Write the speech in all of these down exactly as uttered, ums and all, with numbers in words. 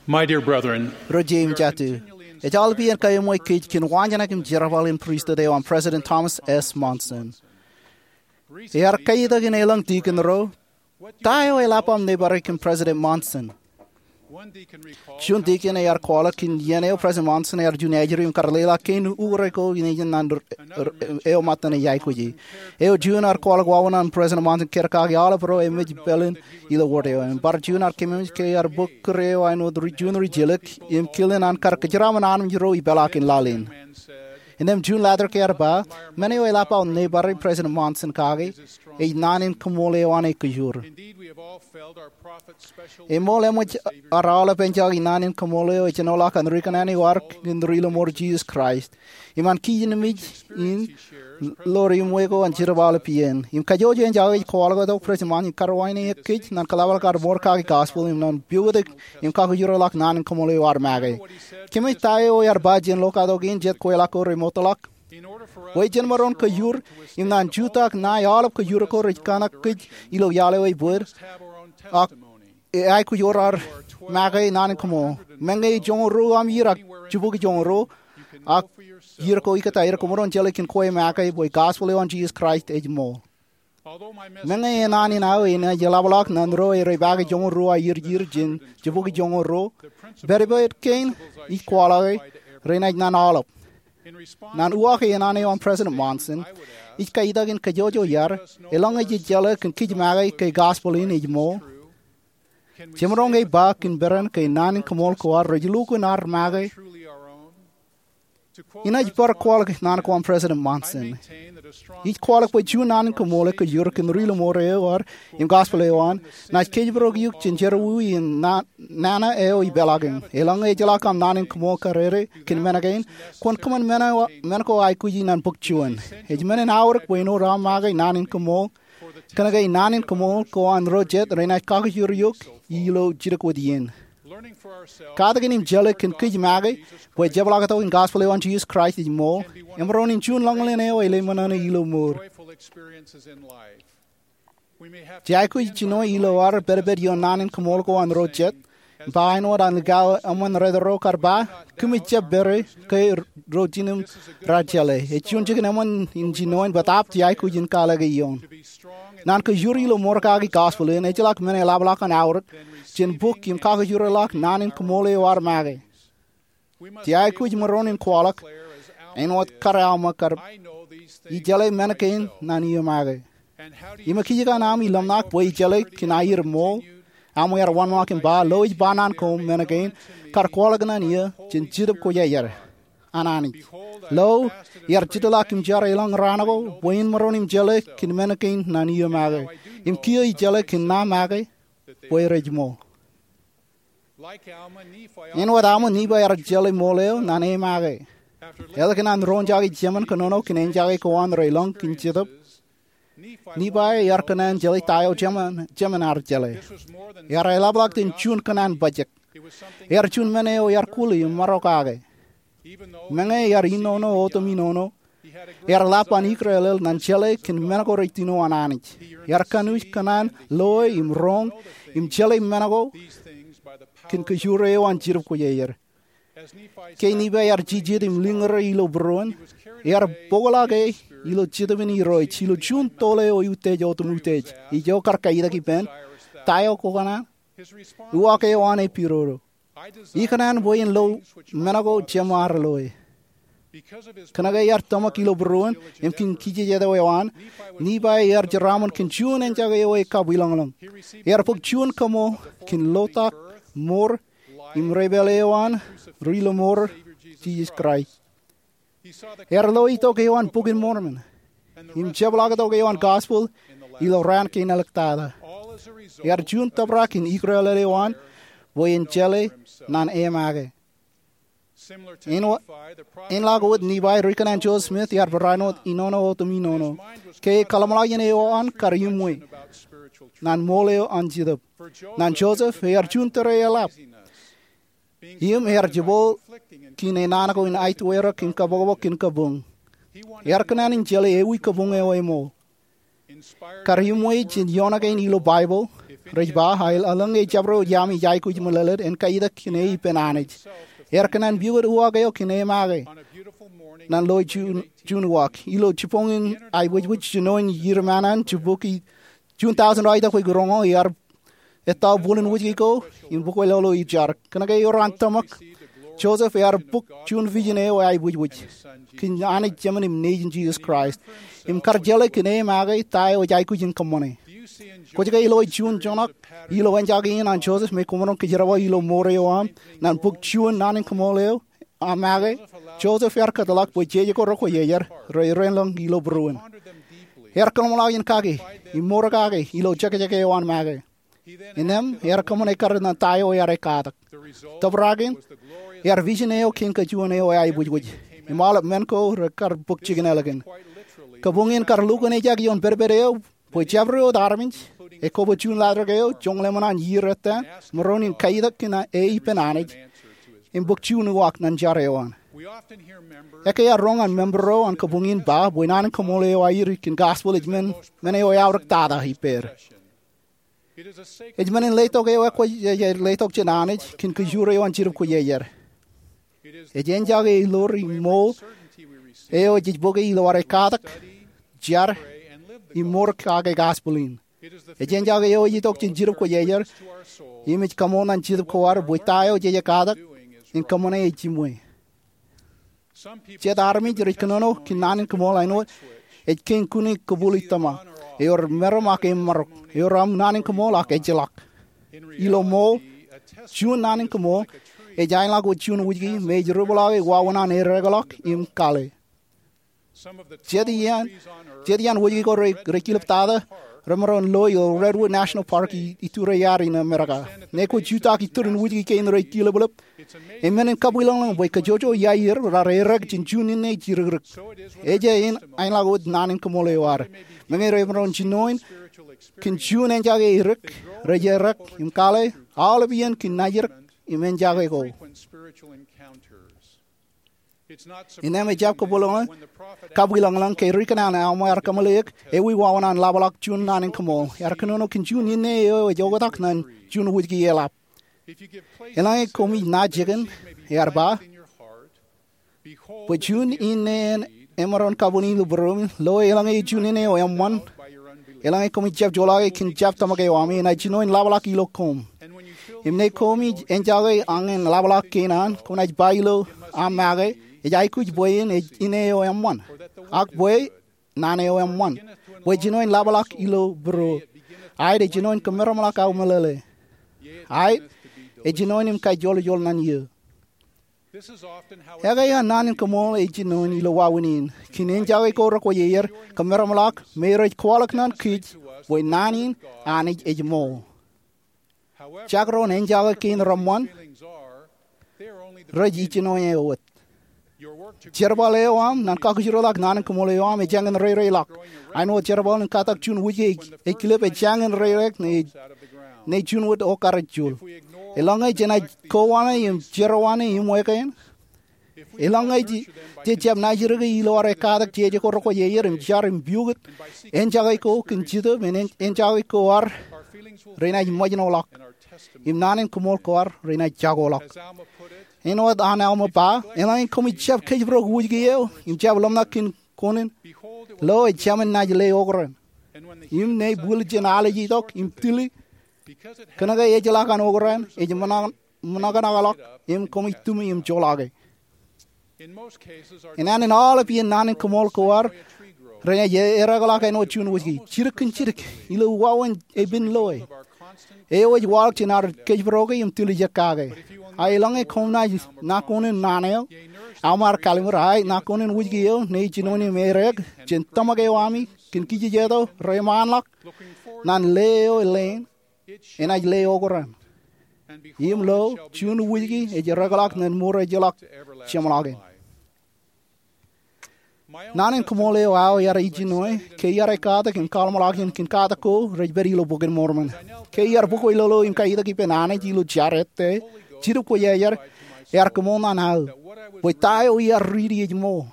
My dear brethren, Ro jeiū im jatū, ej aolepān kōṃṃane kōj kōn waanjoṇak im jerbal in pristut eo an President Thomas S. Monson. Ear kaitōk in elōñ dikon ro, ta eo eḷap aṃ neighbor e kōn President Monson? Juon dikon ear kwaḷọk kōn iien eo President Monson ear juon ajri im kar leḷọk kein ukōrā ko in ej naan eo ṃōttan ej aikuji. Eo juon ear kwaḷọk wāween an President Monson kōdkaki aolep ro emej peḷin ilo wōt eo. Im bar juon ear kememej ke ear bōk kūr eo āinwōt juon ri jilōk im kilin an kar kōjeraaṃṃan armej ro ipeḷaakin laḷ in. Innām juon letter ear ba, men eo eḷap aō neighbor e President Monson kake ej naan in kaṃool eo an ekōjur. Eṃool eṃōj ar aolep enjake naan in kaṃool eo ejenoḷọk an ri kōṇaan eo ark im ri lọmọọr Jisōs Kraist. Im an kij nemij in lo ri ṃwe ko an jerbal ippān. Im kajjojo enjake ej kwaḷọk tok President Monson ej karwaineik kōj naan kōḷapḷọk ad ṃour kaki gospel im naan piukutuk im kakōjūrḷọk naan in kaṃool eo ad make. Kōmij ta eo ear ba jān lokatok in jet kweilọk ko remootḷọk? Bwe jen maroñ kōjur im naan jutak ṇae aolep kōjur ko rej kōṇak kōj ilo iaḷ eo ebōd, ak e aikuj wōt ad make naan in kaṃool. Meñe joñoul ruo aṃ iiō ak jibukwi joñoul ruo, ak iiō ko ikōtaan, ro kwōmaroñ jeḷā kōn kwe make bwe gospel eo an Jisōs Kraist ej ṃool. Meñe enaan in aō enaaj eḷapḷọk naan ro rej pake joñoul ruo aō iiō jān jibukwi joñoul ruo, pedped kein ij kwaḷọke renaaj naan aolep. Naan uwaak enaan eo an President Monson, ij kaitōk in kajjojo iaad, eḷaññe jej jeḷā kōn kij make ke gospel in ej ṃool, jemaroñ ke ba kōn peran ke naan in kaṃool ko ad rej lukkuun ad make? Inaaj bar kwaḷọk naan ko an President Monson. Ij kwaḷọk bwe juon naan in kaṃool ekōjur kōn ri lọmọọr eo ad im gospel eo an naaj kōjparok eok jān jerọwiwi in nana eo ipeḷaakin. Eḷaññe ejjeḷọk aṃ naan in kaṃool kadede kōn men kein, kwōn kōṃṃan men ko aikuji naan bōk juon. Ej men in aorōk bwe āinwōt aṃ make naan in kaṃool, kōnke naan in kaṃool ko an ro jet renaaj kakōjūr eok ilo jidik wōt iien. Katakin im jeḷā kōn kij make bwe jepḷaaktok in gospel eo an Jisōs Kraist ej ṃool emaroñ in juon lañlōñ eo ej ṃōṇōṇō ilo mour. Jej aikuj jino ilo ad pedped ioon naan in kaṃool ko an ro jet, im ba āinwōt an likao eṃṃan ro kar ba, kōmij jab pād ke ro jinen raar jeḷā. Ej juon jikin eṃṃan in jinoin bōtaab jej aikuj in kōḷḷāik ioon. Naan kōjur ilo ṃour kaki gospel in ejjeḷọk men eḷapḷọk an aorōk jān bōk im kakōjūrḷọk naan in kaṃool eo ad make. Jej aikuj maroñ in kwaḷọk āinwōt kar Alma kar, ij jeḷā men kein naan iiō make. Im ekijjeen aṃ ilōmṇak bwe ij jeḷā kōn aer ṃool? Alma ear wōnṃaanḷọk im ba, lo ij ba naan koṃ men kein kar kwaḷọk naan iiō jān Jetōb Kwōjarjar an Anij. Lo, iar jitḷọk im jar elōñ raan ko bwe in maroñ im jeḷā kōn men kein naan iiō make. Im kiiō ij jeḷā kōn ṇa make bwe rej ṃool. Āinwōt Alma, Nifai ear jeḷā ṃool eo naan e make. Ālikin an roñjake jemān kōnono kōn enjake ko an relōñ kōn Jetōb, Nifai ear kōṇaan jeḷā ta eo jemān, jemān ear jeḷā. Ear eḷapḷọk jān juon kōṇaan bajjek. Ear juon men eo ear kūli im marokake. Meñe ear inono otemenono, ear lap an ikrelel naan jeḷā kōn men ko rej tino an Anij. Ear kanooj kōṇaan loe im roñ im jeḷā men ko kōn kōjur eo an Jetōb Kwōjarjar. Ke Nifai ear jijet im liñūr ilo būruon, ear bōkḷọk e ilo Jetōb in Irooj ilo juon tole eo eutiej otem utiej. Ijo kar kaitōk ippān, ta eo kwō kōṇaan? Uwaak eo an ej pidodo. Ikōṇaan bwe in lo men ko jeṃaad loe. Kōnke ear tōmak ilo būruon im kōn kijejet eo an, Nifai ear jeraaṃṃan kōn juon enjake eo ekab ilōñlōñ. Ear bōk juon kaṃool kōn lotak, mour, im depāl eo an ri lọmọọr Jisōs Kraist. Ear lo itok eo an Bok in Mormon im jepḷaaktok eo an gospel ilo raan kein āliktata. Ear juon tōprak in ikrelel eo an bwe en jeḷā naan e make. Āinwōt, āinḷọk wōt Nifai, ri kōṇaan Joseph Smith ear barāinwōt inono otemenono ke kōḷmānḷọkjeṇ eo an kar iṃwe naan ṃool eo an Jetōb. Ñan Joseph, ear juon tōre eḷap. Im ear jepel kōn enaan ko in aetwerak im kapokpok kōn kabuñ. Ear kōṇaan in jeḷā ewi kabuñ eo eṃool. Kar iṃwe jān ioon kein ilo Baibōḷ, Rej ba, a elōñ e jabdewōt iaami ej aikuj meḷeḷe en kaitak kōn e ippān Anij. Ear kōṇaan pukot uwaak eo kōn e make ñan loi juon uwaak. Ilo jibboñin aebwejbwej jinoin iiō ṃōṇōṇō, jibboñin juon taujin ro ej itok bwe kiroño, ear ettā bōlen wōjke ko im bōk e lolo ijadik. Kōnke ewōr an tōmak, Joseph ear bōk juon vision eo aebwejbwej kōn Anij Jemān im Nejin Jisōs Kraist im kar jeḷā kōn e make ta eo ej aikuj in kōṃṃane. Kwōj ke loi juon joñak ilo enjake in an Joseph me kwōmaroñ kōjerbal ilo mour eo aṃ ñan bōk juon naan in kaṃool eo aṃ make? Joseph ear kōtḷọk bwe jeje ko rekwojarjar rerein ḷọk ilo būruon. Ear kōḷmānḷọkjeṇ kake im mour kake ilo jekjek eo an make. Innām ear kōṃṃane kar ñan ta eo ear katak. Tōprak in, ear vision eo kein kajuon eo aebwejbwej im aolep men ko rekar bōk jikin ālikin. Kabuñ in kar lukkuun ejak ioon pedped eo bwe jabdewōt armej, ekwe bwe juon ḷaddik eo joñan ḷeṃōṇōṇō iiō ettā, maroñ in kaitak kōn e ippān Anij im bōk juon uwaak ñan jar eo an. Ekkā ear roñ an member ro an kabuñ in ba bwe naan in kaṃool eo aer kōn gospel ej men, men eo eaorōk tata ippāer. Ej men in letok eo ekwōj, ej letok jān Anij kōn kōjro eo an Jetōb Kwōjarjar. Ej enjake eo ḷoor im ṃool eo jej bōke ilo ad katak, jar, im mour kake gospel in. Ej enjake eo ej itok jān Jetōb Kwōjarjar im ej kaṃool ñan jetōb ko ad bwe ta eo jej katak in kōṃṃane ej jimwe. Jet armej rej kōnono kōn naan in kaṃool āinwōt ej kein kune kōpooḷ itōṃa. Ewōr meram ak eṃṃarok. Ewōr aṃ naan in kaṃool ak ejjeḷọk. Ilo ṃool, juon naan in kaṃool ej aenḷọk wōt juon wōjke me ej ripḷọke wāween an ereekḷọk im kale. Jet iaan, jet iaan wōjke ko rej, rej kilep tata remaroñ loi ilo Redwood National Park i, iturū iaad in Amerika. Ṇe kwōj jutak iturin wōjke kein rej kileplep, eṃṃan in kabwilōñlōñ bwe kōjwōjwōj iaan raar ereek jān juon inne ej irikrōk. Ej iaan aenḷọk wōt naan in kaṃool eo ad. Meñe remaroñ jinoin kōn juon enjake erik, rej ereek im kale, aolep iien kōn najidik im enjake ko. Innām ejjab kabwilōñlōñ, kabwilōñlōñ ke ri-kōṇaan Alma ear kōmeḷeḷeik ewi wāween an ḷapḷọk juon naan in kaṃool. Ear kōnono kōn juon inne eo ej oktak ñan juon wōjke eḷap. Eḷaññe koṃij naaj jikin, ear ba, bwe juon inne en emaroñ kabwini ilo būruōmi, lo eḷaññe juon inne eo eṃṃan, eḷaññe koṃij jab joḷọke kōn jab tōmak eo ami, enaaj jinoin ḷapḷọk ilo koṃ. Im ṇe koṃij enjake añin ḷapḷọk kein an, koṃ naaj ba ilo aṃ make, ej aikuj bwe in ej inne eo eṃṃan, ak bwe naan eo eṃṃan, bwe ej jinoin ḷapḷọk ilo būruō. Aet ej jinoin kōmeramḷọk aō meḷeḷe. Aet ej jinoin im kajjoḷ ijoḷ ñan eō. Ekkā eṇ naan in kaṃool ej jinoin ilo wāween in. Kōn enjake ko rekwōjarjar, kōmeramḷọk, me rej kwaḷọk ñan kōj bwe naan in Anij ej ṃool. Jekdọọn enjake kein reṃṃan, rej ijjino eō wōt. Jerbal eo aṃ ñan kakūjrōḷọk naan in kaṃool eo aṃ ejāñin reireilọk. Āinwōt jerbal in katak juon wōjke ej kilep ejāñin reireik ṇe, ṇe juon wōt okar ej juul. Eḷaññe jenaaj kowaan im jerowaan im wōj kein, eḷaññe jej jab najidik ilo ad katak jeje ko rekwōjarjar im jar im pukot enjake ko kōn Jetōb, en, enjake ko ad renaaj ṃōjṇọḷọk im naan in kaṃool ko ad renaaj jakoḷọk. Āinwōt an Alma ba, eḷaññe koṃij jab kōjparok wōjke eo im jab ḷōmṇak kōn koṇin, lo, ej jāmin naaj le okran. Im ṇe bwil jān al ej itok im tili, kōnke ejjeḷọk an okran, ej ṃōṇōṇō ṃōṇōṇō ḷọk im koṃij tūmi im joḷọke. Enana in aolep iien naan in kaṃool ko ad renaaj ereekḷọk āinwōt juon wōjke, jidik kōn jidik, ilo wāween epen loe eo ej waḷọk jān ad kōjparoke im tiljek kake. A eḷaññe koṃ naaj ṇa koṇin naan eo, Alma ear kallim̧ur, aet, ṇa koṇin wōjke eo ṇe ej jinoin im ereek jān tōmak eo ami kōn kijejeto reṃaanḷọk ñan le eo leen, enaaj le okran. Im lo, juon wōjke ej ereekḷọk ñan mour ejjeḷọk jeṃḷọkin. Naan in kaṃool eo aō ear ijjino ke iar katak im kōḷmānḷọkjeṇ kōn katak ko rej pād ilo Bok in Mormon. Ke iar bōk wōj lolo im kaitak ippān Anij ilo jar ettā, Jetōb Kwōjarjar ear kōṃṃool ñan aō bwe ta eo iar riiti ej ṃool.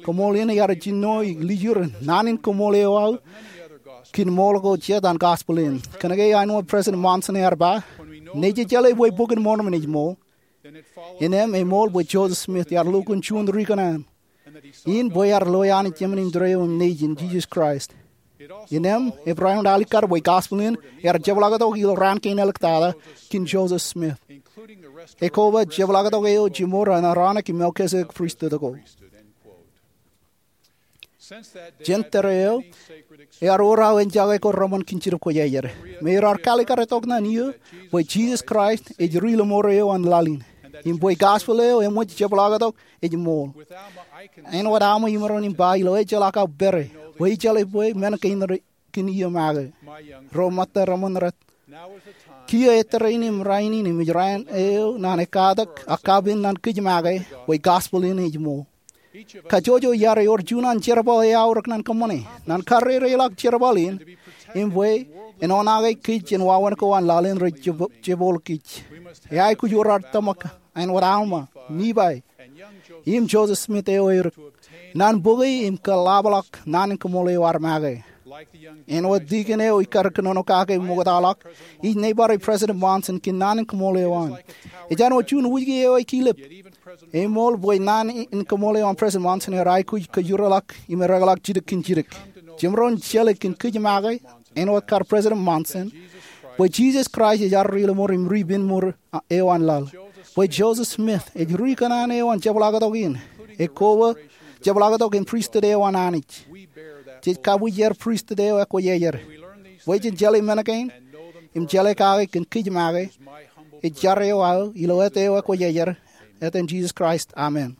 Kaṃool in ear jino lijur naan in kaṃool eo aō kōn ṃool ko jet an gospel in. Kōnke āinwōt President Monson ear ba, nejejāle bwe Bok in Mormon ej ṃool, innem eṃool bwe Joseph Smith ear lukkuun juon ri kōṇaan, in bwe ear loe Anij emān im tōre eo im Nejin, Jisōs Kraist. Innem ebarāinwōt alikkar bwe gospel in ear jepḷaaktok ilo raan kein āliktata kōn Joseph Smith, ekwe jepḷaaktok eo jiṃor an Aronik im Melkisedek pristut ko. Jān tōre eo, ear wōr aō enjake ko reṃṃan kōn Jidip Kwōjarjar, im ear kalikkar tok ñan eō bwe Jisōs Kraist ej ri lọmọọr eo an laḷ in, im bwe gospel eo eṃōj jepḷaaktok ej ṃool. Āinwōt Alma imaroñ in ba ilo ejjeḷọk aō pere, bwe ij jeḷā bwe men kein rej kōn eō make, ro ṃōtta reṃōn rej. Kiiō ettōr in im rainin im ej raan eo ñan ekkatak ak kapen ñan kōj make bwe gospel in ej ṃool. Kajjojo iar ewōr juon an jerbal eaorōk ñan kōṃṃane. Ñan karreoreḷọk jerbal in, im bwe en oṇaake kōj jān wāween ko an laḷ in rej jebo-, jeboḷọk kōj, eaikuj wōr ad tōmak āinwōt Alma, Nifai, im Joseph Smith eo erik, ñan bōke im kōḷḷāpḷọk naan in kōṃṃool eo ad make. Āinwōt dikon eo ikar kōnono kake ṃoktaḷọk, ij neighbor e President Monson kōn naan in kōṃṃool eo an. Ej āinwōt juon wūjke eo ekilep. Eṃool bwe naan in kōṃṃool eo an President Monson ear aikuj kōjjeḷọk im erekḷọk jidik kōn jidik. Jemaroñ jeḷā kōn kōj make, āinwōt kar President Monson, bwe Jisōs Kraist ej ad ri lọmọọr im ri penmour eo an laḷ. Bwe Joseph Smith ej ri kōṇaan eo an jepḷaaktok in, ekwe jepḷaaktok in pristut eo an Anij. Jej kabwijer pristut eo ekwōjarjar. Bwe jen jeḷā men kein im jeḷā kake kōn kōj make, ej jar eo aō ilo āt eo ekwōjarjar, etan Jisōs Kraist, amen.